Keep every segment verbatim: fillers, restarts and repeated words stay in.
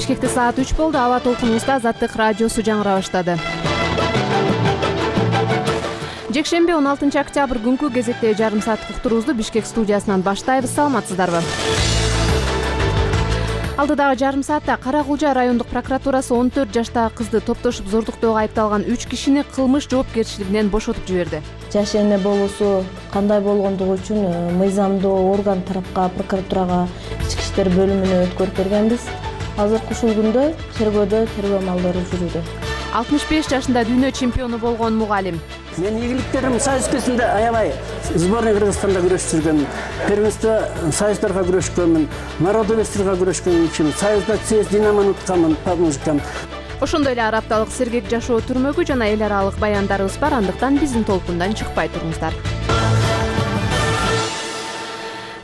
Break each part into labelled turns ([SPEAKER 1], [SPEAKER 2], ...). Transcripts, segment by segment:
[SPEAKER 1] Бишкекте саат үч болду. Аба толкунубузда Азаттык радиосу жаңыра баштады. Жекшемби он алтынчы октябрь күнкү кезекте жарым сааттык уктуруубузду Бишкек студиясынан баштайбыз. Саламатсыздарбы? Алдыдагы жарым саатта Кара-Кулжа райондук прокуратурасы он төрт жаштагы кызды топтошуп зордуктоого айыпталган үч кишини кылмыш жоопкерчилигинен бошотуп жиберди.
[SPEAKER 2] Жаш эне болуусу кандай болгондугу үчүн мыйзамдуу орган тарапка прокуратурага ички иштер бөлүмүнө өткөрүп бергенбиз. Азыркы ушул күндө тергөөдө тергөө амалдары жүрүүдө.
[SPEAKER 1] алтымыш беш жашында дүйнө чемпиону болгон мугалим.
[SPEAKER 3] Мен ийгиликтерим союз кезинде аябай сборный Кыргызстанда күрөшүп жүргөм. Первенство союздарга күрөшкөнмүн, народовецтерге күрөшкөнмүн, союзда ЦС Динамону утканмын, помножкам.
[SPEAKER 1] Ошондой эле ар апталык сергек жашоо түрмөгү жана эл аралык баяндарыбыз бар, андыктан биздин толкундан чыкпай туруңуздар.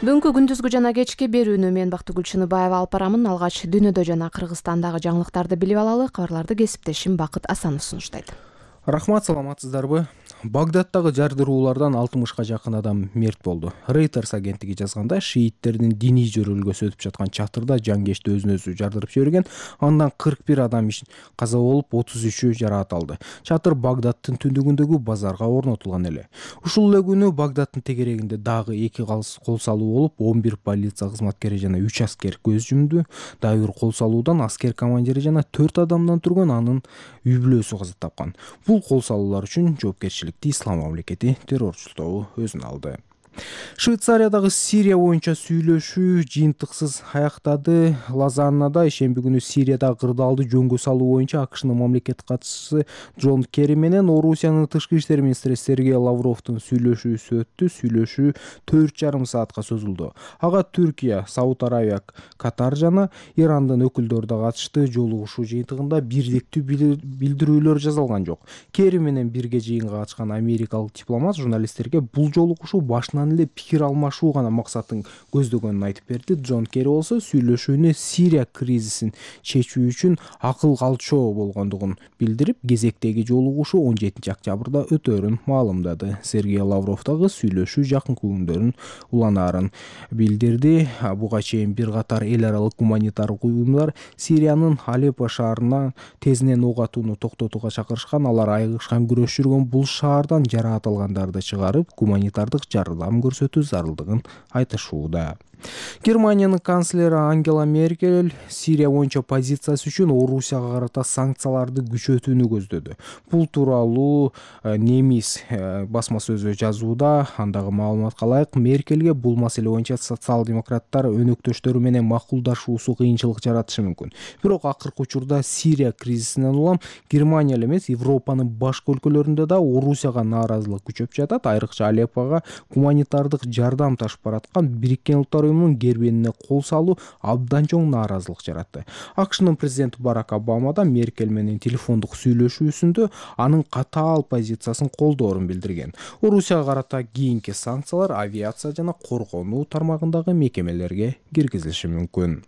[SPEAKER 1] Бүгүнкү күндүзгү жана кечки берүүнү мен Бактыгүл Чыныбаева алып барамын. Алгач дүйнөдө жана Кыргызстандагы жаңылыктарды билип алалы. Кабарларды кесиптешим Бакыт Асанов сунуштайт.
[SPEAKER 4] Рахмат, саламатсыздарбы? Багдадтагы жардыруулардан алтымышка жакын адам мерт болду. Reuters агенттиги жазганда, шииттердин диний жөрөлгөсү өтүп жаткан чатырда жангечти өзүн өзү жардырып жиберген, андан кырк бир адам каза болуп, отуз үчү жараат алды. Чатыр Багдадтын түндүгүндөгү базарга орнотулган эле. Ушул эле күнү Багдадтын тегерегинде дагы эки кол салуу болуп, он бир полиция кызматкери жана үч аскер көз жумду. Дагы бир кол салуудан аскер командири жана төрт адамдан турган анын үй бүлөсү каза тапкан. Бул кол салуулар үчүн жоопкерчиликти Ислам мамлекети террорчулуктоо өзүнө алды. Швейцариядагы Сирия боюнча сүйлөшүү жыйынтыксыз аяктады. Лозаннада ишемби күнү Сириядагы кырдаалды жөнгө салуу боюнча АКШнын мамлекет катчысы Джон Керри менен Орусиянын тышкы иштер министри Сергей Лавровдун сүйлөшүүсү өттү. Сүйлөшүү төрт жарым саатка созулду. Ага Түркия, Сауд Арабия, Катар жана Ирандын өкүлдөрү да катышты. Жолугушуу жыйынтыгында бирдиктүү билдирүүлөр жазылган жок. Керри менен бирге жыйынга катышкан америкалык дипломат журналисттерге бул жолугушуу башынан эле пикир алмашуу гана максатын көздөгөнүн айтып берди. Джон Керри болсо сүйлөшүүнү Сирия кризисин чечүү үчүн акыл калчоо болгондугун билдирип, кезектеги жолугушуу он жетинчи октябрда өтөөрүн маалымдады. Сергей Лавров дагы сүйлөшүү жакынкы күндөрүн уланаарын билдирди. Буга чейин бир катар эл аралык гуманитардык уюмдар Сириянын Алеппо шаарына тезинен ок атууну токтотууга чакырышкан. Алар айыгышкан күрөш жүргөн бул шаардан жараат алгандарды чыгарып, гуманитардык жардам көрсөтүү зарылдыгын айтышууда. Германиянын канцлери Ангела Меркель Сирия боюнча позициясы үчүн Орусияга карата санкцияларды күчөтүүнү көздөдү. Бул тууралуу немис басма сөзү жазууда. Андагы маалыматка ылайык, Меркельге бул маселе боюнча социал-демократтар өнөктөштөрү менен макулдашуусу кыйынчылык жаратышы мүмкүн. Бирок акыркы учурда Сирия кризисинен улам Германия эле эмес, Европанын башка өлкөлөрүндө да Орусияга нааразылык күчөп жатат. Айрыкча Алеппого гуманитардык жардам ташып бараткан Бириккен Улуттар гербенине кол салуу абдан чоң нааразылык жаратты. АКШнын президенти Барак Обама да Меркель менен телефондук сүйлөшүүсүндө анын катаал позициясын колдоорун билдирген. Орусияга карата кийинки санкциялар авиация жана коргонуу тармагындагы мекемелерге киргизилиши мүмкүн.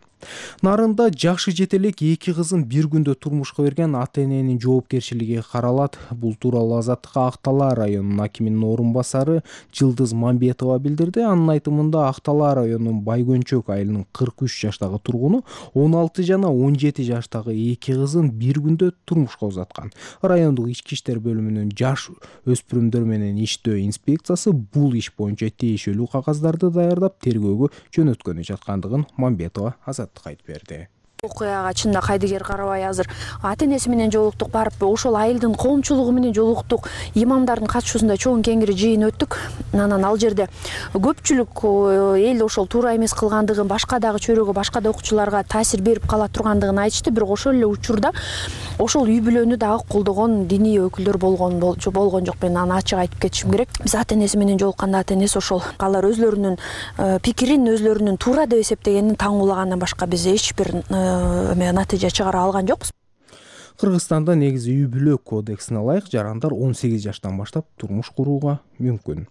[SPEAKER 4] Нарында жакшы жетелек эки кызын бир күндө турмушка берген ата-эненин жоопкерчилиги каралат. Бул тууралуу Азаттыкка Ак Талаа районунун акиминин орун басары Жылдыз Мамбетова билдирди. Анын айтымында Ак Талаа районунун Байгөнчөк айылынын кырк үч жаштагы тургуну он алты жана он жети жаштагы эки кызын бир күндө турмушка узаткан. Райондук ички иштер бөлүмүнүн жаш өспүрүмдөр менен иштөө инспекциясы бул иш боюнча тиешелүү кагаздарды даярдап тергөөгө жөнөткөнү жаткандыгын Мамбетова Азаттыкка айтып берди.
[SPEAKER 5] Окуяга чында кайдыгер карабай азыр ата-энеси менен жолуктук, барып ошол айылдын коомчулугу менен жолуктук, имамдардын катышуусунда чоң кеңири жыйын өттүк. Анан ал жерде көпчүлүк эл ошол туура эмес кылгандыгын, башка дагы чөйрөгө, башка да окуучуларга таасир берип кала тургандыгын айтышты. Бирок ошол эле учурда ошол үй бүлөнү дагы колдогон диний өкүлдөр болгон болгон жок. Мен аны ачык айтып кетишим керек. Биз ата-энеси менен жолукканда ата-энеси ошол алар өзлөрүнүн пикирин, өзлөрүнүн туура деп эсептегенин таңуулагандан башка биз эч бир натыйжа чыгара алган жокпуз.
[SPEAKER 4] Кыргызстанда негизи үй бүлө кодексине ылайык жарандар он сегиз жаштан баштап турмуш курууга мүмкүн.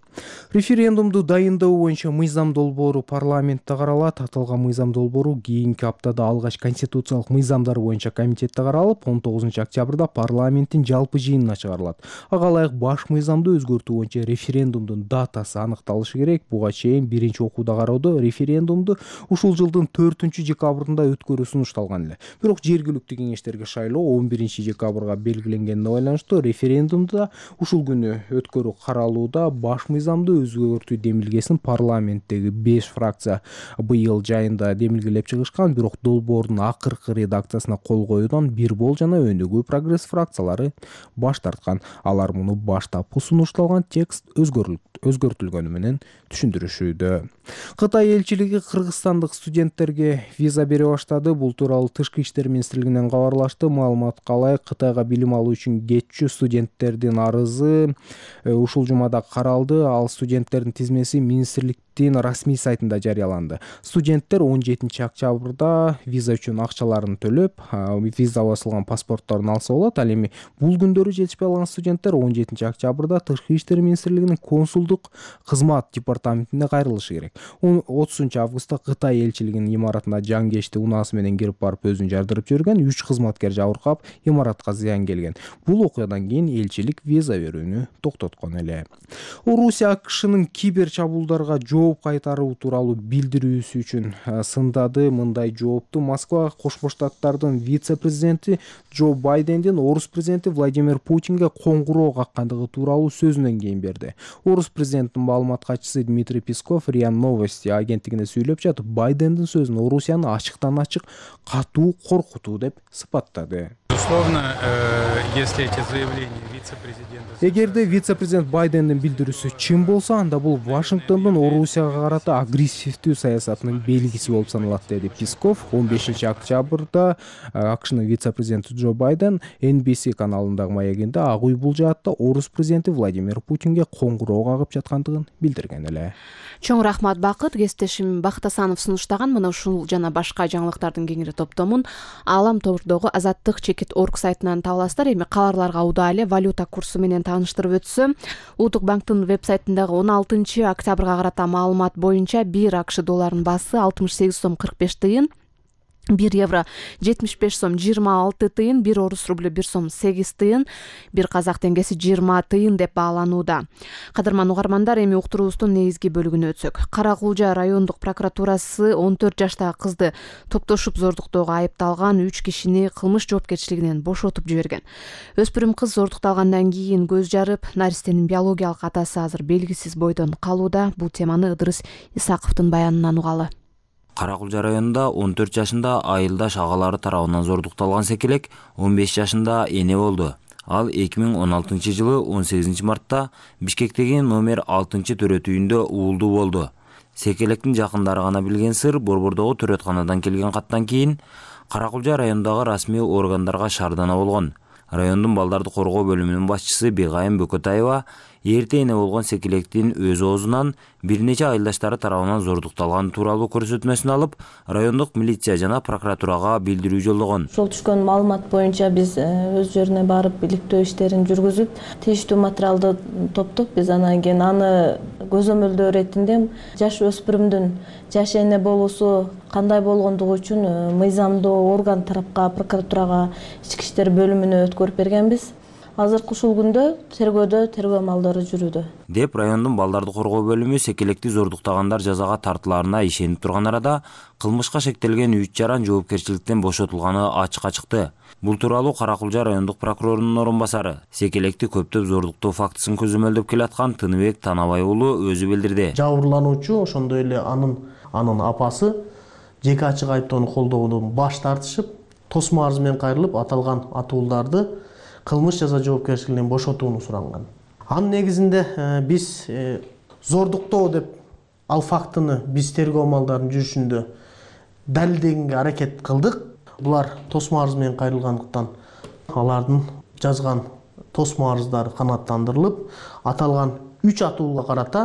[SPEAKER 4] Референдумду дайындоо боюнча мыйзам долбоору парламентте каралат. Аталган мыйзам долбоору кийинки аптада алгач конституциялык мыйзамдар боюнча комитетте каралып, он тогузунчу октябрда парламенттин жалпы жыйынына чыгарылат. Ага ылайык баш мыйзамды өзгөртүү боюнча референдумдун датасы аныкталышы керек. Буга чейин биринчи окууда кароодо референдумду ушул жылдын төртүнчү декабрында өткөрүү сунушталган эле. Бирок жергиликтүү кеңештерге шайлоо он биринчи декабрга белгиленгенине байланыштуу референдумда ушул күнү өткөрүү каралууда. Баш мыйзамды өзгөртүү демилгесин парламенттеги беш фракция быйыл жайында демилгелеп чыгышкан, бирок долбоордун акыркы редакциясына кол коюудан Бирбол жана Өнүгүү Прогресс фракциялары баш тарткан. Алар муну баштапкы сунушталган текст өзгөртүлгөнү менен түшүндүрүшүүдө. Кытай элчилиги кыргызстандык студенттерге виза бере баштады. Бул тууралуу Тышкы иштер министрлигинен кабарлашты. Маалыматка ылайык, Кытайга билим алуу үчүн кетчү студенттердин арызы ушул жумада каралды. Ал студенттердин тизмеси министрликтин расмий сайтында жарыяланды. Студенттер он жетинчи октябрда виза үчүн акчаларын төлөп, виза басылган паспортторун алса болот. Ал эми бул күндөрү жетишпей калган студенттер он жетинчи октябрда Тышкы иштер министрлигинин консулдук кызмат департаментине кайрылышы керек. отузунчу августта Кытай элчилигинин имаратына жангечти унаасы менен кирип барып өзүн жардырып жиберген үч кызматкер жабыркап, имаратка зыян келген. Бул окуядан кийин элчилик виза берүүнү токтоткон эле. Орусия АКШнын кибер чабуулдарга жооп кайтаруу тууралуу билдирүүсү үчүн сындады. Мындай жоопту Москва Кошмо Штаттардын вице-президенти Джо Байдендин орус президенти Владимир Путинге коңгуроо каккандыгы тууралуу сөзүнөн кийин берди. Орус президентинин маалымат катчысы Дмитрий Песков РИА Новости агенттигине сүйлөп жатып, Байдендин сөзүн Орусияны ачыктан ачык катуу коркутуу деп сыпаттады.
[SPEAKER 6] Безусловно, если эти заявления вице-президента...
[SPEAKER 4] Эгерде вице-президент Байдендин билдирүүсү чын болсо, анда бул Вашингтондун Орусияга карата агрессивдүү саясатынын белгиси болуп саналат, деди Песков. он бешинчи октябрда АКШнын вице-президенти Джо Байден Эн Би Си каналындагы маегинде Ак Үй бул жаатта орус президенти Владимир Путинге коңгуроо кагып жаткандыгын билдирген эле.
[SPEAKER 1] Чоң рахмат Бакыт. Кесиптешим Бакыт Асанов сунуштаган мына ушул жана башка жаңылыктардын кеңири топтомун Аалам тобурдогу Азаттык чекит орг сайтынан таба аласыздар. Эми кабарларга удаа эле валюта курсу менен тааныштырып өтсөм, Улуттук банктын веб-сайтындагы он алтынчы октябрга карата маалымат боюнча бир АКШ долларынын баасы алтымыш сегиз сом кырк беш тыйын, бир евро жетимиш беш сом жыйырма алты тыйын, бир орус рублю бир сом сегиз тыйын, бир казак теңгеси жыйырма тыйын деп бааланууда. Кадырман угармандар, эми уктуруубуздун негизги бөлүгүнө өтсөк. Кара Кулжа райондук прокуратурасы он төрт жаштагы кызды токтошуп зордуктоого айыпталган үч кишини кылмыш жоопкерчилигинен бошотуп жиберген. Өспүрүм кыз зордукталгандан кийин көз жарып, наристенин биологиялык атасы азыр белгисиз бойдон калууда. Бул теманы Ыдырыс Исаковдун баянынан угалы.
[SPEAKER 7] Кара Кулжа районунда он төрт жашында айылдаш агалары тарабынан зордукталган секелек он беш жашында эне болду. Ал эки миң он алтынчы жылы он сегизинчи мартта Бишкектеги номер алтынчы төрөт үйүндө уулдуу болду. Секелектин жакындары гана билген сыр, Борбордогу төрөтканадан келген каттан кийин Кара Кулжа районундагы расмий органдарга шаардана болгон. Райондун балдарды коргоо бөлүмүнүн башчысы Бегайым Бөкөтаева эрте эне болгон секелектин өз оозунан бир нече айылдаштары тарабынан зордукталган тууралуу көрсөтмөсүн алып, райондук милиция жана прокуратурага билдирүү жолдогон.
[SPEAKER 2] Ошол түшкөн маалымат боюнча биз өз жерине барып иликтөө иштерин жүргүзүп, тийиштүү материалды топтоп, биз анан кийин аны көзөмөлдөө иретинде жаш өспүрүмдүн жаш эне болуусу кандай болгондугу үчүн мыйзамдуу орган тарапка, прокуратурага, ички иштер бөлүмүнө өткөрүп бергенбиз. Азыркы ушул күндө тергөөдө тергөө амалдары жүрүүдө,
[SPEAKER 7] деп райондун балдарды коргоо бөлүмү секелекти зордуктагандар жазага тартылаарына ишенип турган арада кылмышка шектелген үч жаран жоопкерчиликтен бошотулганы ачыкка чыкты. Бул тууралуу Кара Кулжа райондук прокурорунун орун басары, секелекти көптөп зордуктоо фактысын көзөмөлдөп келаткан Тыныбек Танабай уулу өзү билдирди.
[SPEAKER 8] Жабырлануучу ошондой эле анын анын апасы жеке ачык айыптоону колдоодон баш тартышып, тосмо арыз менен кайрылып, аталган атууларды кылмыш жаза жоопкерчилигинен бошотууну суранган. Анын негизинде биз зордуктоо деп ал фактыны биз тергөө амалдарынын жүрүшүндө далилдегенге аракет кылдык. Булар тосмо арыз менен кайрылгандыктан алардын жазган тосмо арыздары канааттандырылып, аталган үч атууга карата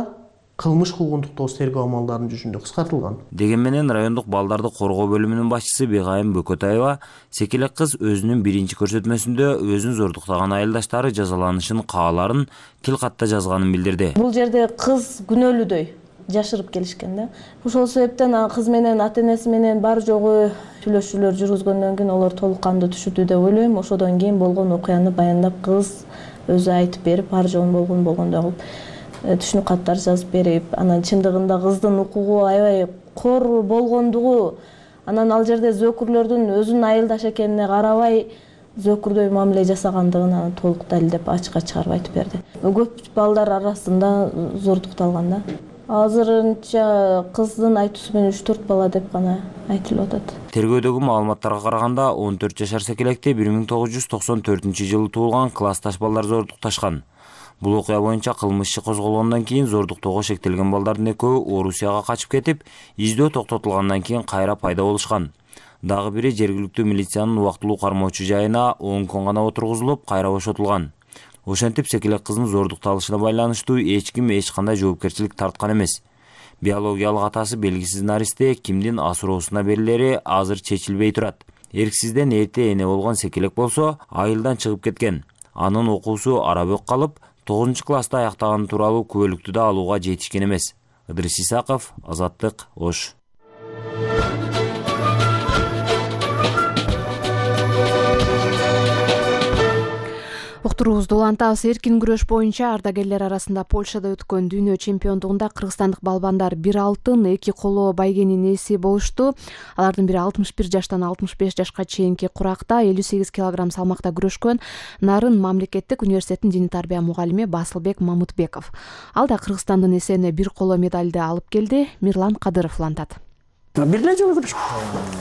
[SPEAKER 8] кылмыш кылган тоос тергөө амалдарынын жүзүндө кыскартылган.
[SPEAKER 7] Деген менен райондук балдарды коргоо бөлүмүнүн башчысы Бегайым Бөкөтаева секелек кыз өзүнүн биринчи көрсөтмөсүндө өзүн зордуктаган айылдаштары жазаланышын кааларын тил катта жазганын билдирди.
[SPEAKER 2] Бул жерде кыз күнөөлүүдөй жашырып келишкен да. Ошол себептен кыз менен ата энеси менен бар жогу сүйлөшүүлөр жүргүзгөндөн кийин олар толук кандуу түшүндү деп ойлойм. Ошодон кийин болгон окуяны баяндап кыз өзү айтып берип, бар жогун болгон болгондой кылып түшүнүк каттар жазып берип, анан чындыгында кыздын укугу аябай кор болгондугу, анан ал жерде зөөкүрлөрдүн өзүнүн айылдашы экенине карабай зөөкүрдөй мамиле жасагандыгын анан толук далилдеп ачыкка чыгарып айтып берди. Көп балдар арасында зордукталган да. Азырынча кыздын айтуусу менен үч төрт бала деп гана айтылып атат.
[SPEAKER 7] Тергөөдөгү маалыматтарга караганда он төрт жашар секелекте бир миң тогуз жүз токсон төртүнчү жылы туулган классташ балдар зордукташкан. Бул окуя боюнча кылмыш иши козголгондон кийин зордуктоого шектелген балдардын экөө Орусияга качып кетип, издөө токтотулгандан кийин кайра пайда болушкан. Дагы бири жергиликтүү милициянын убактылуу кармоочу жайына он күн гана отургузулуп, кайра бошотулган. Ошентип секелек кыздын зордукталышына байланыштуу эч ким эч кандай жоопкерчилик тарткан эмес. Биологиялык атасы белгисиз наристе кимдин асыроосуна берилери азыр чечилбей турат. Эрксизден эрте эне болгон секелек болсо айылдан чыгып кеткен. Анын окуусу арабөк калып, тогузунчу класста аяктаганы тууралуу күбөлүктү да алууга жетишкен эмес. Ыдырыс Исаков, Азаттык, Ош.
[SPEAKER 1] Уктуруубузду улантабыз. Эркин күрөш боюнча ардагерлер арасында Польшада өткөн дүйнө чемпиондугунда кыргызстандык балбандар бир алтын, эки коло байгенин ээси болушту. Алардын бири алтымыш бир жаштан алтымыш беш жашка чейинки куракта элүү сегиз килограмм салмакта күрөшкөн Нарын мамлекеттик университетинин диний тарбия мугалими Басылбек Мамытбеков. Ал да Кыргызстандын эсебине бир коло медалды алып келди. Мирлан Кадыров улантат.
[SPEAKER 3] Бир эле жолу күрөшкөн.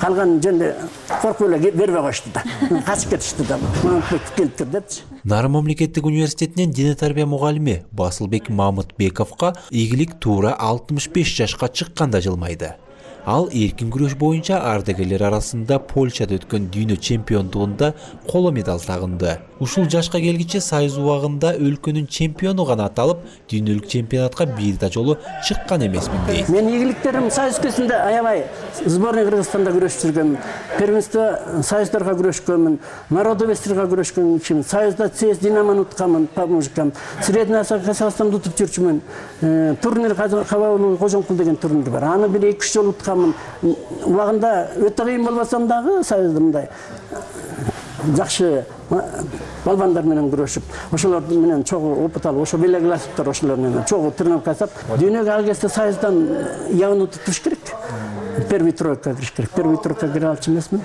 [SPEAKER 3] Калган жерде коркуп эле бербей коюшту да. Качып кетишти да. Мамытбеков келип тур депчи.
[SPEAKER 9] Нарын мамлекеттик университетинин диний тарбия мугалими Басылбек Мамытбековго ийгилик туура алтымыш беш жашка чыкканда жылмайды. Ал эркин күрөш боюнча ардагерлер арасында Польшада өткөн дүйнө чемпиондугунда коло медаль тагынды. Ушул жашка келгиче сайыз убагында өлкөнүн чемпиону гана аталып, дүйнөлүк чемпионатка бир да жолу чыккан эмесмин дейт.
[SPEAKER 3] Мен ийгиликтерим союз өлкөсүндө аябай сборный Кыргызстанда күрөшүп жүргөм. Первенство союздарга күрөшкөнмүн, народовецтерге күрөшкөн, союзда ЦС Динамону утканмын, помощникам. Средний Казакстанда утуп жүрчүмүн. Турнир Кабаулуу Кожомкул деген турнир бар. Аны бир эки үч жолу утканмын. Убагында өтө кыйын болбосом дагы союзда мындай жакшы балбандар менен күрөшүп, ошолор менен чогуу опыт алып, ошо белегласыптыр, ошолор менен чогуу тренировка жасап, дүйнөгө ал кезде союздан явно туш керек. Первый тройка кириш керек. Первый тройка кире алчу эмесмин.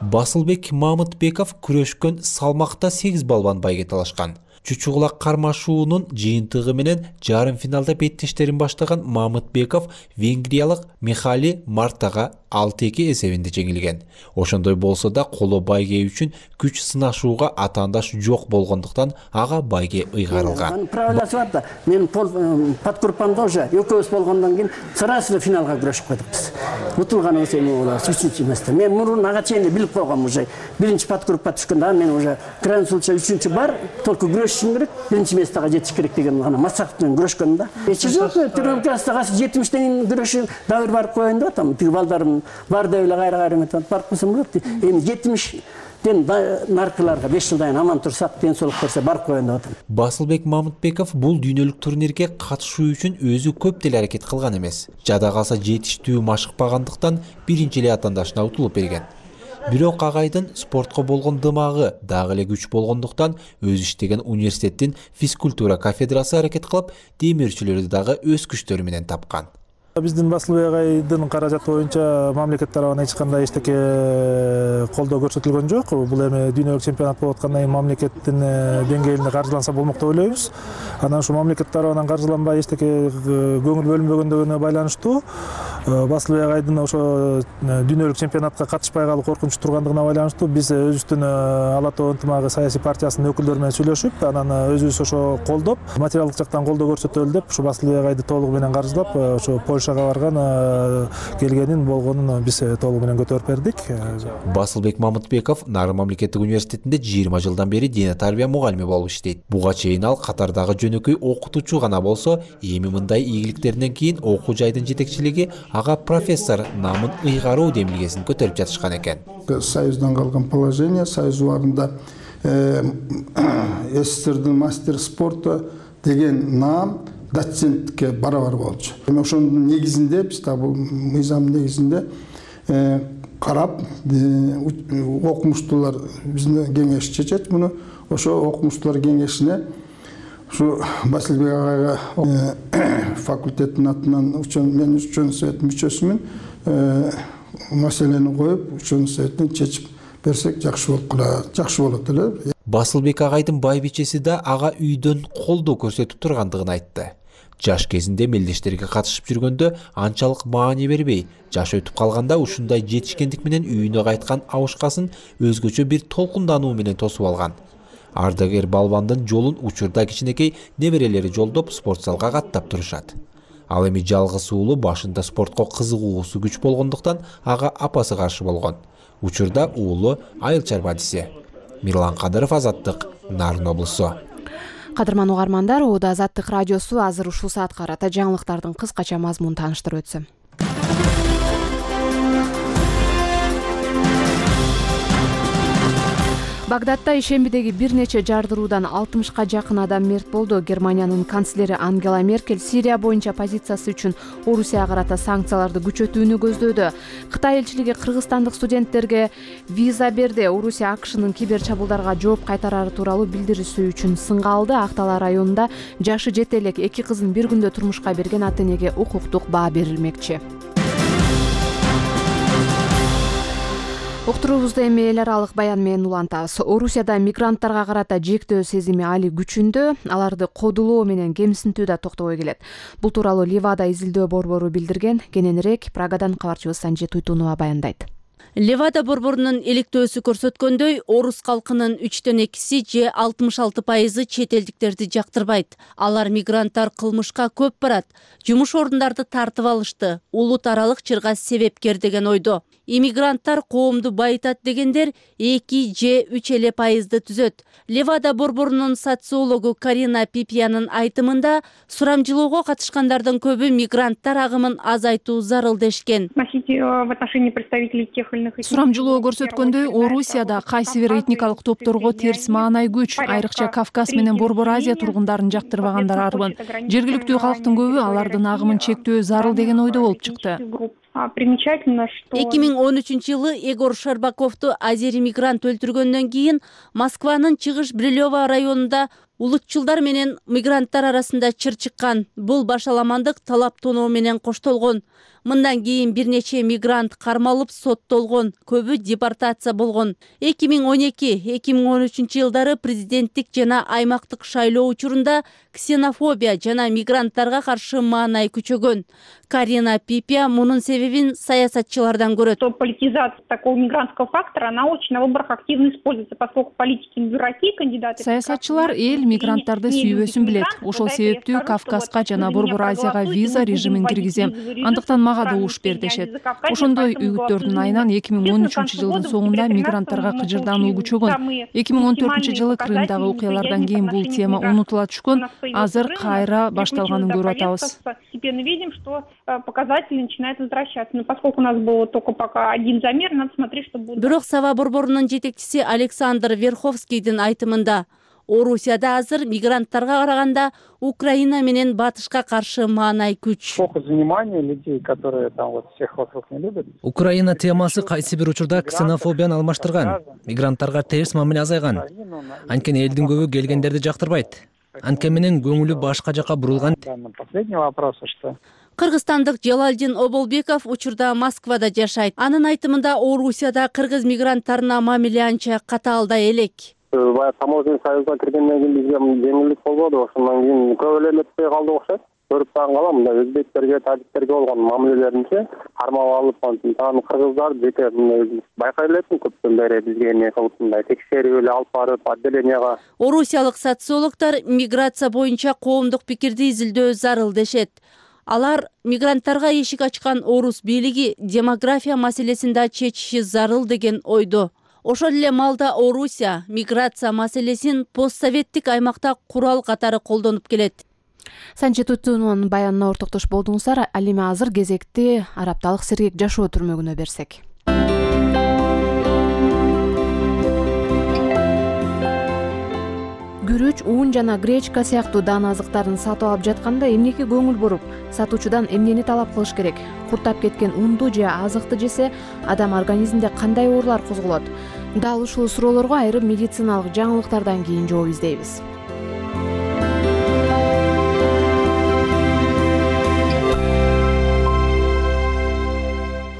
[SPEAKER 9] Басылбек Мамытбеков күрөшкөн салмакта сегиз балбан байге талашкан. Чучугулак кармашуунун жыйынтыгы менен жарым финалда беттештерин баштаган Мамытбеков венгриялык Михали Мартага алты эки эсебинде жеңилген. Ошондой болсо да коло байге үчүн күч сынашууга атаандаш жок болгондуктан ага байге ыйгарылган.
[SPEAKER 3] Правиласы бар да. Мен подгруппамда уже экөөбүз болгондон кийин сразу финалга күрөшүп койдук биз. Утулган эсебим болот, үчүнчү эместе. Мен мурун ага чейин билип койгом уже. Биринчи подгруппа түшкөндө мен уже крайний случай үчүнчү бар, только күрөшүшүм керек, биринчи местага жетиш керек деген гана Масаков менен күрөшкөн да. Эч жок, тренировкага жетимиштен күрөшүп дабыр барып коеюн деп атам. Тиги балдарым бар деп эле кайра-кайра метип барып койсом болот. Эми жетимиштен наркыларга беш жылдан аман турсак, ден соолук берсе барып коеюн деп атам.
[SPEAKER 9] Басылбек Мамытбеков бул дүйнөлүк турнирге катышуу үчүн өзү көп деле аракет кылган эмес. Жада калса жетиштүү машыкпагандыктан биринчи эле атаандашына утулуп берген. Бирок агайдын спортко болгон дымагы дагы эле күч болгондуктан өзү иштеген университеттин физкультура кафедрасы аракет кылып, демирчилерди дагы өз күчтөрү менен тапкан.
[SPEAKER 10] Биздин Басылбек агайдын каражаты боюнча мамлекет тарабынан эч кандай эчтеке колдоо көрсөтүлгөн жок. Бул эми дүйнөлүк чемпионат болуп аткандан кийин мамлекеттин деңгээлинде каржыланса болмок деп ойлойбуз. Анан ушу мамлекет тарабынан каржыланбай эчтеке көңүл бөлүнбөгөндөгүнө байланыштуу Басылбек Агайдын ошо дүйнөлүк чемпионатка катышпай калуу коркунучу тургандыгына байланыштуу биз өзүбүздүн Ала Тоо ынтымагы саясий партиясынын өкүлдөрү менен сүйлөшүп, анан өзүбүз ошо колдоп, материалдык жактан колдоо көрсөтөлү деп ушу Басылбек Агайды толугу менен каржылап, ошо Польшага барган келгенин болгонун биз толугу менен көтөрүп бердик.
[SPEAKER 9] Басылбек Мамытбеков Нарын мамлекеттик университетинде жыйырма жылдан бери дине тарбия мугалими болуп иштейт. Буга чейин ал катардагы жөнөкөй окутуучу гана болсо, эми мындай ийгиликтеринен кийин окуу жайдын жетекчилиги ага профессор наамын ыйгаруу демилгесин көтөрүп жатышкан экен.
[SPEAKER 11] Союздан калган положение, союз убагында СССРдин мастер спорта деген наам доцентке барабар болчу. Эми ошонун негизинде биз да бул мыйзамдын негизинде карап, окумуштуулар биздин кеңеш чечет муну. Ошо окумуштуулар кеңешине ушу Басылбек агайга факультеттин атынан мен учун советтин мүчөсүмүн маселени коюп, учун советтин чечип берсек жакшы болуп калат, жакшы болот эле.
[SPEAKER 9] Басылбек агайдын байбичеси да ага үйдөн колдоо көрсөтүп тургандыгын айтты. Жаш кезинде мелдештерге катышып жүргөндө анчалык маани бербей, жаш өтүп калганда ушундай жетишкендик менен үйүнө кайткан абышкасын өзгөчө бир толкундануу менен тосуп алган. Ардагер балбандын жолун учурда кичинекей неберелери жолдоп спортзалга каттап турушат. Ал эми жалгыз уулу башында спортко кызыгуусу күч болгондуктан ага апасы каршы болгон. Учурда уулу айыл чарбадиси. Мирлан Кадыров, Азаттык, Нарын облусу.
[SPEAKER 1] Кадырман угармандар, Оодо Азаттык радиосу азыр ушул саатка карата жаңылыктардын кыскача мазмунун тааныштырып өтсөм. Багдадда ишембидеги бир нече жардыруудан алтымышка жакын адам мерт болду. Германиянын канцлери Ангела Меркель Сирия боюнча позициясы үчүн Орусияга карата санкцияларды күчөтүүнү көздөөдү. Кытай элчилиги кыргызстандык студенттерге виза берди. Орусия АКШнын кибер чабуулдарга жооп кайтарары тууралуу билдирүүсү үчүн сынга алды. Актала районунда жашы жете элек эки кызын бир күндө турмушка берген ата энеге укуктук баа берилмекчи. Уктуруубузду эми эл аралык баян менен улантабыз. Орусияда мигранттарга карата жектөө сезими али күчүндө, аларды кодулоо менен кемсинтүү да токтобой келет. Бул тууралуу Левада изилдөө борбору билдирген. Кененирээк Прагадан кабарчыбыз Санжи Туйтунова баяндайт.
[SPEAKER 12] Левада борборунун иликтөөсү көрсөткөндөй, орус калкынын үчтөн экиси же алтымыш алты пайызы чет элдиктерди жактырбайт. Алар мигранттар кылмышка көп барат, жумуш орундарды тартып алышты, улут аралык чырга себепкер деген ойдо. Иммигранттар коомду байытат дегендер эки же үч эле пайызды түзөт. Левада борборунун социологу Карина Пипиянын айтымында, сурамжылоого катышкандардын көбү мигранттар агымын азайтуу зарыл дешкен.
[SPEAKER 13] Сурамжылоо көрсөткөндөй, Орусияда кайсы бир этникалык топторго терс маанай күч, айрыкча Кавказ менен Борбор Азия тургундарын жактырбагандар арбын. Жергиликтүү калктын көбү алардын агымын чектөө зарыл деген ойдо болуп чыкты.
[SPEAKER 12] Примечательно, что эки миң он үчүнчү жылы Егор Шарбаковду азери мигрант өлтүргөндөн кийин Москванын Чыгыш Брилево районунда улутчулдар менен мигранттар арасында чыр чыккан. Бул башаламандык талап тоноо менен коштолгон. Мындан кийин бир нече мигрант кармалып соттолгон, көбү депортация болгон. эки миң он эки — эки миң он үчүнчү жылдары президенттик жана аймактык шайлоо учурунда ксенофобия жана мигранттарга каршы маанай күчөгөн. Карина Пипия мунун себебин саясатчылардан көрөт.
[SPEAKER 14] Политизация такого мигрантского фактора, она очень на выборах активно используется, поскольку политики не дураки, кандидаты.
[SPEAKER 13] Саясатчылар эл мигранттарды сүйбөсүн билет. Ошол себептүү Кавказга жана Борбор Азияга виза режимин киргизем. Андыктан мага да уш бер дешет. Ошондой үгүттөрдүн айынан эки миң он үчүнчү жылдын соңунда мигранттарга кыжырдануу күчөгөн. эки миң он төртүнчү жылы Крымдагы окуялардан кийин бул тема унутула түшкөн. Азыр кайра башталганын көрүп атабыз.
[SPEAKER 14] Показатели начинают возвращаться. Но поскольку у нас было только пока один замер, надо смотреть, что будет.
[SPEAKER 12] Бирок Сава борборунун жетекчиси Александр Верховскийдин айтымында, Орусияда азыр мигранттарга караганда Украина менен батышка каршы маанай күч.
[SPEAKER 15] Фокус внимания людей, которые там вот всех вокруг не любят.
[SPEAKER 16] Украина темасы кайсы бир учурда ксенофобияны алмаштырган. Мигранттарга терс мамиле азайган. Анткени элдин көбү келгендерди жактырбайт. Анткени менен көңүлү башка жака бурулган.
[SPEAKER 15] Последний вопрос, что
[SPEAKER 12] Кыргызстандык Жалалдин Оболбеков учурда Москвада жашайт. Анын айтымында Орусияда кыргыз мигранттарына мамиле анча катаалдай элек.
[SPEAKER 15] Таможенный союзга киргенден кийин бизге жеңилдик болбоду, ошондон кийин көп эле өтпөй калды окшойт.
[SPEAKER 17] көрүп дагы калам, мындай өзбектерге, тажиктерге болгон мамилелеринчи кармап алып, антип анан кыргыздар жеке байкай элесиң көптөн бери бизге эмне кылып мындай текшерип эле алып барып отделенияга.
[SPEAKER 12] Орусиялык социологдор миграция боюнча коомдук пикирди изилдөө зарыл дешет. Алар мигранттарга эшик ачкан орус бийлиги демография маселесин да чечиши зарыл деген ойдо. Ошол эле маалда Орусия миграция маселесин постсоветтик аймакта курал катары колдонуп келет.
[SPEAKER 1] Санче Тутунунун баянына ортоктош болдуңуздар. Ал эми азыр кезекти Арапталык Сергек жашоо түрмөгүнө берсек. Күрүч, ун жана гречка сыяктуу дан азыктарын сатып алып жатканда эмнеге көңүл буруп, сатуучудан эмнени талап кылыш керек? Куртап кеткен унду же азыкты жесе адам организминде кандай оорулар козголот? Дал ушул суроолорго айрым медициналык жаңылыктардан кийин жооп издейбиз.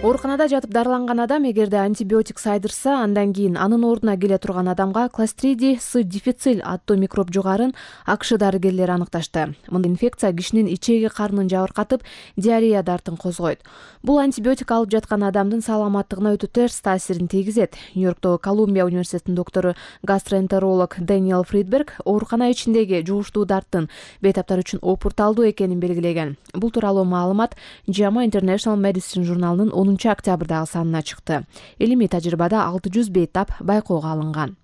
[SPEAKER 1] Ооруканада жатып дарыланган адам эгерде антибиотик сайдырса, андан кийин анын ордуна келе турган адамга Clostridium С. difficile аттуу микроб жугарын АКШ дарыгерлери аныкташты. Мындай инфекция кишинин ичеги карнын жабыркатып, диарея дартын козгойт. Бул антибиотик алып жаткан адамдын саламаттыгына өтө терс таасирин тийгизет. Нью-Йорктогу Колумбия университетинин доктору гастроэнтеролог Дэниел Фридберг оорукана ичиндеги жугуштуу дарттын бейтаптар үчүн опурталдуу экенин белгилеген. Бул тууралуу маалымат JAMA International Medicine журналынын онунчу октябрдагы санына чыкты. Илимий тажрыйбада алты жүз бейтап байкоого алынган.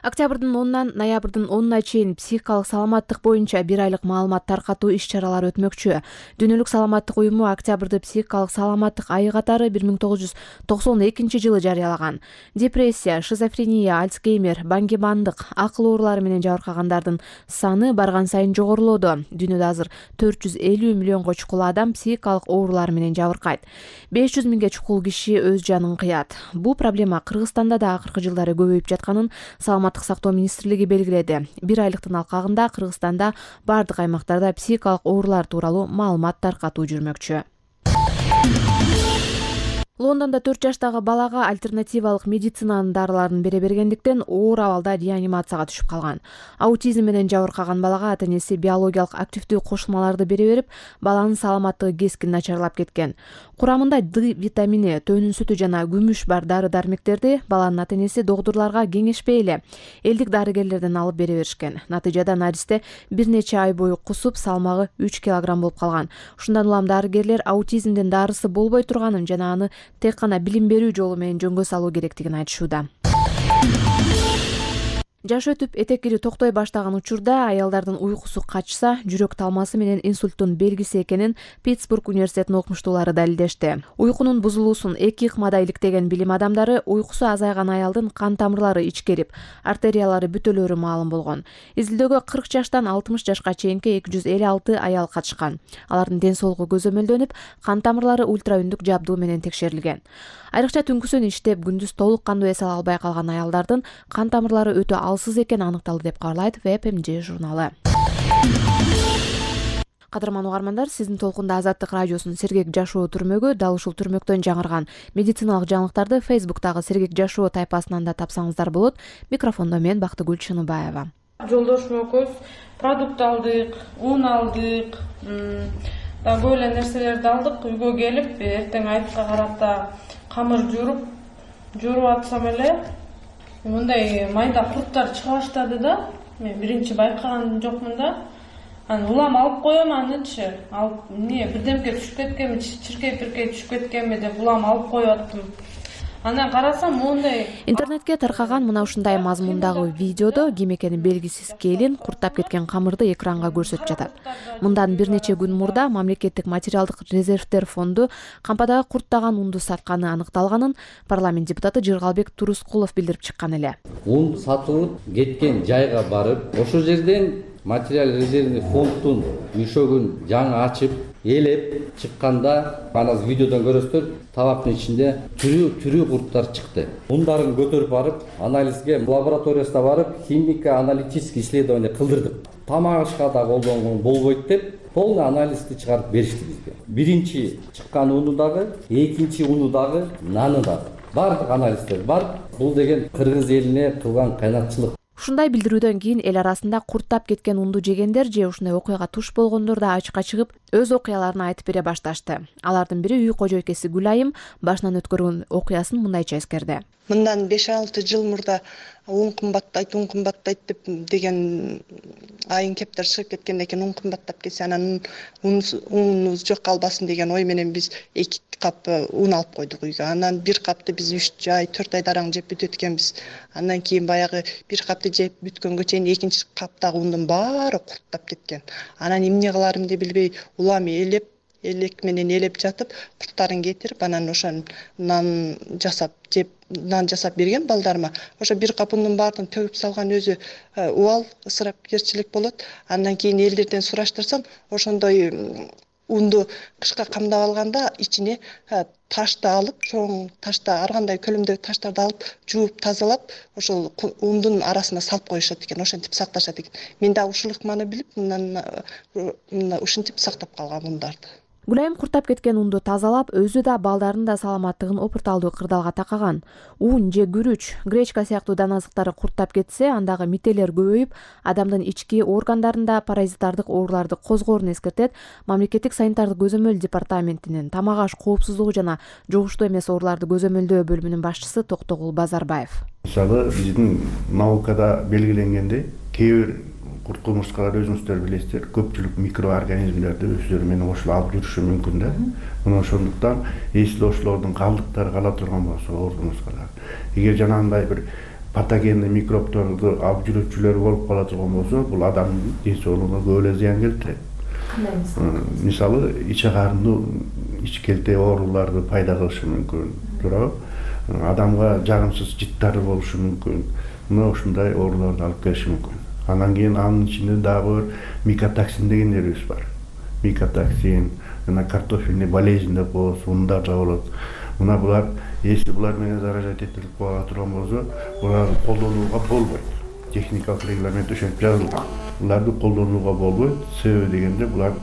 [SPEAKER 1] Октябрдын онунан ноябрдын онуна чейин психикалык саламаттык боюнча бир айлык маалымат таркатуу иш-чаралары өтмөкчү. Дүйнөлүк саламаттык уюму октябрды психикалык саламаттык айы катары бир миң тогуз жүз токсон экинчи жылы жарыялаган. Депрессия, шизофрения, альцгеймер, баңги-бандык, акыл оорулары менен жабыркагандардын саны барган сайын жогорулоодо. Дүйнөдө азыр төрт жүз элүү миллионго чукул адам психикалык оорулар менен жабыркайт. беш жүз миңге чукул киши өз жанын кыят. Бул проблема Кыргызстанда да акыркы жылдары көбөйүп жатканын саламаттык сактоо министрлиги белгиледи. Бир айлыктын алкагында Кыргызстанда бардык аймактарда психикалык оорулар тууралуу маалымат таркатуу жүрмөкчү. Лондондо төрт жаштагы балага альтернативалык медицинанын дарыларын бере бергендиктен оор абалда реанимацияга түшүп калган. Аутизм менен жабыркаган балага ата-энеси биологиялык активдүү кошулмаларды бере берип, баланын саламаттыгы кескин начарлап кеткен. Курамында Д витамини, төнүн сүтү жана күмүш бар дары-дармектерди баланын ата-энеси доктурларга кеңешпей эле элдик дарыгерлерден алып бере беришкен. Натыйжада наристе бир нече ай бою кусуп, салмагы үч килограмм болуп калган. Ушундан улам дарыгерлер аутизмдин дарысы болбой турганын жана аны тек гана билим берүү жолу менен жөнгө салуу керектигин айтышууда. Жаш өтүп этекири токтой баштаган учурда аялдардын уйкусу качса, жүрөк талмасы менен инсульттун белгиси экенин Питтсбург университетинин окумуштуулары далилдешти. Уйкунун бузулуусун эки ыкмада иликтеген билим адамдары уйкусу азайган аялдын кан тамырлары ичкерип, артериялары бүтөлөрү маалым болгон. Изилдөөгө кырк жаштан алтымыш жашка чейинки эки жүз элүү алты аял катышкан. Алардын ден соолугу көзөмөлдөнүп, кан тамырлары ультраүндүк жабдуу менен текшерилген. Айрыкча түнкүсүн иштеп, күндүз толук кандуу эс ала албай калган аялдардын кан тамырлары өтө алсыз экени аныкталды деп кабарлайт Веб эм жэ журналы. Кадырман угармандар, сиздин толкунда Азаттык радиосунун Сергек жашоо түрмөгү, дал ушул түрмөктөн жаңырган медициналык жаңылыктарды Фейсбуктагы Сергек жашоо тайпасынан да тапсаңыздар болот. Микрофондо мен Бактыгүл Чыныбаева.
[SPEAKER 18] Жолдошум экөөбүз продукт алдык, ун алдык, дагы эле нерселерди алдык. Үйгө келип, эртең айтка карата камыр жууруп, жууруп атсам эле мындай майда курттар чыга баштады да. Мен биринчи байкаган жокмун да. Анан улам алып коем анычы. Алып, эмне, бирдемке түшүп кеткенби, чиркей-пиркей түшүп кеткенби деп улам алып коюп аттым. Анан карасам моундай
[SPEAKER 1] интернетке таркаган мына ушундай мазмундагы видеодо ким экени белгисиз келин курттап кеткен камырды экранга көрсөтүп жатат. Мындан бир нече күн мурда мамлекеттик материалдык резервдер фонду кампадагы курттаган унду сатканы аныкталганын парламент депутаты Жыргалбек Турускулов билдирип чыккан эле.
[SPEAKER 19] Ун сатылып кеткен жайга барып, ошол жерден материал резервный фонддун үйшөгүн жаңы ачып, элеп чыкканда, анан видеодон көрөсүздөр, табактын ичинде түрүү-түрүү курттар чыкты. Ундарын көтөрүп барып, анализге лабораториясына барып, химико-аналитический исследование кылдырдык. Тамак ашка да колдонгон болбойт деп, полный анализди чыгарып беришти бизге. Биринчи чыккан уну дагы, экинчи уну дагы, наны дагы. Бардык анализдер бар. Бул деген кыргыз элине кылган кайнатчылык.
[SPEAKER 1] Ушундай билдирүүдөн кийин эл арасында курттап кеткен унду жегендер же ушундай окуяга туш болгондор да ачыкка чыгып өз окуяларын айтып бере башташты. Алардын бири үй кожойкеси Гүлайым башынан өткөргөн окуясын мындайча эскерди.
[SPEAKER 20] Мындан беш алты жыл мурда ун кымбаттайт, ун кымбаттайт деп деген айын кептер чыгып кеткенден кийин ун кымбаттап кетсе анан унубуз жок калбасын деген ой менен биз эки кап ун алып койдук үйгө. Анан бир капты биз үч ай, төрт ай дараң жеп бүтөт экенбиз. Андан кийин баягы бир капты жеп бүткөнгө чейин экинчи каптагы ундун баары курттап кеткен. Анан эмне кыларымды билбей улам элеп элек менен элеп жатып, курттарын кетирип, анан ошон нан жасап жеп, нан жасап берген балдарыма. Ошо бир кап ундун баарын төгүп салган өзү убал ысырапкерчилик болот. Андан кийин элдерден сураштырсам, ошондой унду кышка камдап алганда ичине ташты алып, чоң ташты, ар кандай көлөмдөгү таштарды алып, жууп тазалап, ошол ундун арасына салып коюшат экен, ошентип сакташат экен. Мен да ушул ыкманы билип, мындан ушинтип сактап калгам ундарды.
[SPEAKER 1] Гүлайым курттап кеткен унду тазалап, өзү да балдарынын да саламаттыгын опурталдуу кырдаалга такаган. Ун же күрүч, гречка сыяктуу дан азыктары курттап кетсе, андагы мителер көбөйүп, адамдын ички органдарында паразиттардык ооруларды козгоорун эскертет Мамлекеттик санитардык көзөмөл департаментинин тамак аш коопсуздугу жана жугуштуу эмес ооруларды көзөмөлдөө бөлүмүнүн башчысы Токтогул Базарбаев.
[SPEAKER 21] Мисалы, биздин наукада белгиленгендей, кээ бир курт кумурскалар өзүңүздөр билесиздер, көпчүлүк микроорганизмдерди өздөрү менен кошуп алып жүрүшү мүмкүн да. Мына ошондуктан эсил ошолордун калдыктары кала турган болсо оор кумурскалар, эгер жанагындай бир патогенный микробторду алып жүрүүчүлөр болуп кала турган болсо, бул адамдын ден соолугуна көп эле зыян келтирет. Мисалы, ич карындуу ич келте ооруларды пайда кылышы мүмкүн, туурабы? Адамга жагымсыз жыттары болушу мүмкүн. Мына ушундай ооруларды алып келиши мүмкүн. Анан кийин анын ичинде дагы микотоксин дегендерибиз бар. Микотоксин, жана картофельный болезнь деп коебуз, ундар да болот. Мына булар, если булар менен заражать этилип кала турган болсо, буларды колдонууга болбойт. Техникалык регламент ошентип жазылган. Буларды колдонууга болбойт. Себеби дегенде булар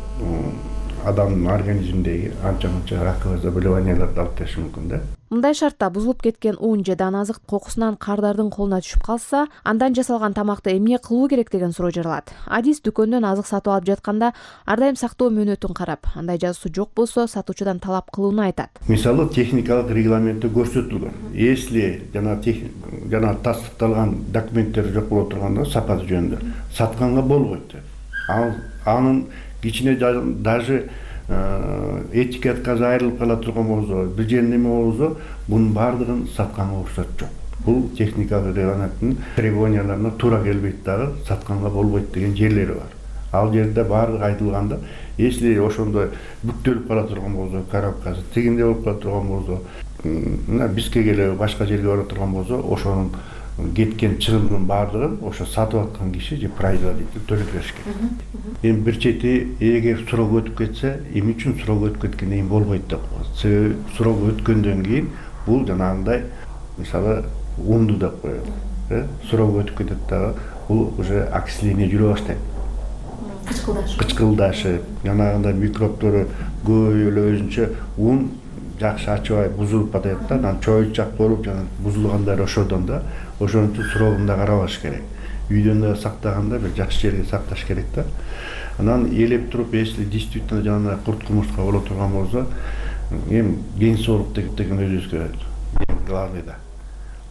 [SPEAKER 21] адамдын организминдеги анча-мынча раковый заболеванияларды алып келиши мүмкүн да.
[SPEAKER 1] Мындай шартта бузулуп кеткен ун же дан азык кокусунан кардардын колуна түшүп калса, андан жасалган тамакты эмне кылуу керек деген суроо жаралат. Адис дүкөндөн азык сатып алып жатканда ар дайым сактоо мөөнөтүн карап, андай жазуусу жок болсо, сатуучудан талап кылууну айтат.
[SPEAKER 21] Мисалы, техникалык регламентте көрсөтүлгөн. Если жана жана тастыкталган документтер жок боло турганда, сапаты жөнүндө сатканга болбойт. Ал анын кичине даже этикеткасы айрылып кала турган болсо, бир жер неме болсо, бунун баардыгын сатканга уруксат жок. Бул техникалык регламенттин требованияларына туура келбейт дагы, сатканга болбойт деген жерлери бар. Ал жерде баардыгы айтылганда, если ошондой бүктөлүп кала турган болсо, коробкасы тигинде болуп кала турган болсо, мына бизге келе башка жерге бара турган болсо, ошонун кеткен чыгымдын баардыгын ошо сатып аткан киши же производитель төлөп бериш керек. Эми бир чети, эгер срок өтүп кетсе, эмне үчүн срок өтүп кеткенден кийин болбойт деп коет. Себеби срок өткөндөн кийин бул жанагындай, мисалы, унду деп коет. Э, срок өтүп кетет дагы, бул уже окисление жүрө баштайт. Кычкылдашып. Кычкылдашып, жанагындай микробтору көбөйүп эле өзүнчө ун жакшы ачыбай бузулуп атат да, анан чоючак болуп жана бузулгандар ошодон да, ошон үчүн срогун да карабаш керек. Үйдөн да сактаганда бир жакшы жерге сакташ керек да. Анан элеп туруп, если действительно жанагындай курт кумурска боло турган болсо, эми ден соолук деген өзүбүзгө эң главный да.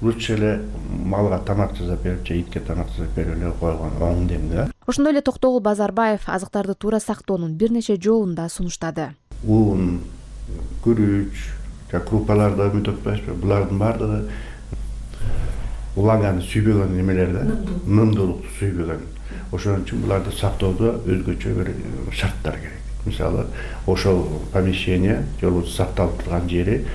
[SPEAKER 21] Лучше эле малга тамак жасап берип, же итке тамак жасап берип эле койгон оң демди да.
[SPEAKER 1] Ошондой эле Токтогул Базарбаев азыктарды туура сактоонун бир нече жолун да сунуштады.
[SPEAKER 21] Ун, күрүч, крупаларды үмүт этпейсизби? Булардын баардыгы улаганы сүйбөгөн немелер да, нымдуулукту сүйбөгөн. Ошон үчүн буларды сактоодо өзгөчө бир шарттар керек. Мисалы, ошол помещение, же болбосо сакталып турган жери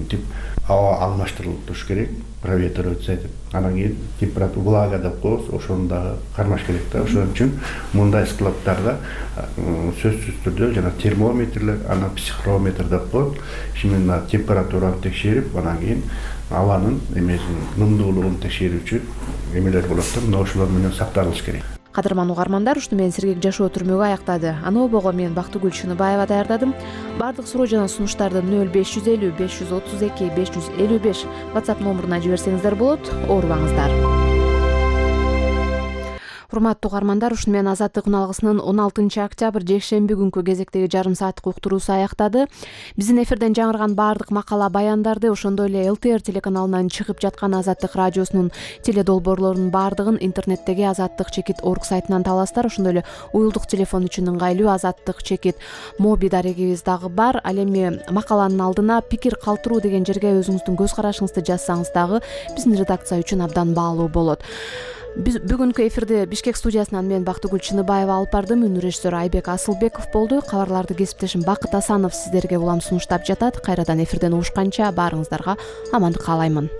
[SPEAKER 21] тип аба алмаштырылып туруш керек, проветриваться этип. Анан кийин температура влага деп коебуз, ошону дагы кармаш керек да. Ошон үчүн мындай складтарда сөзсүз түрдө жана термометрлер, анан психрометр деп коет. Именно температураны текшерип, анан кийин абанын эмесин нымдуулугун текшерүүчү эмелер болот да. Мына ошолор менен сакталыш керек.
[SPEAKER 1] Кадырман угармандар, ушуну менен Сергек жашоо түрмөгү аяктады. Аны обого мен Бактыгүл Чыныбаева даярдадым. Бардык суроо жана сунуштарды нөл беш жүз элүү беш жүз отуз эки беш жүз элүү беш WhatsApp номуруна жиберсеңиздер болот. Оорубаңыздар. урматтуу угармандар, ушуну менен Азаттык үналгысынын он алтынчы октябрь жекшемби күнкү кезектеги жарым сааттык уктуруусу аяктады. Биздин эфирден жаңырган баардык макала баяндарды, ошондой эле эл тэ эр телеканалынан чыгып жаткан Азаттык радиосунун теледолбоорлорунун баардыгын интернеттеги азаттык чекит орг сайтынан табасыздар. Ошондой эле уюлдук телефон үчүн ыңгайлуу азаттык чекит моби дарегибиз дагы бар. Ал эми макаланын алдына пикир калтыруу деген жерге өзүңүздүн көз карашыңызды жазсаңыз дагы биздин редакция үчүн абдан баалуу болот. Биз бүгүнкү эфирди Бишкек студиясынан мен Бактыгүл Чыныбаева алып бардым. Үнү режиссер Айбек Асылбеков болду. Кабарларды кесиптешим Бакыт Асанов сиздерге улам сунуштап жатат. Кайрадан эфирден угушканча баарыңыздарга амандык каалаймын.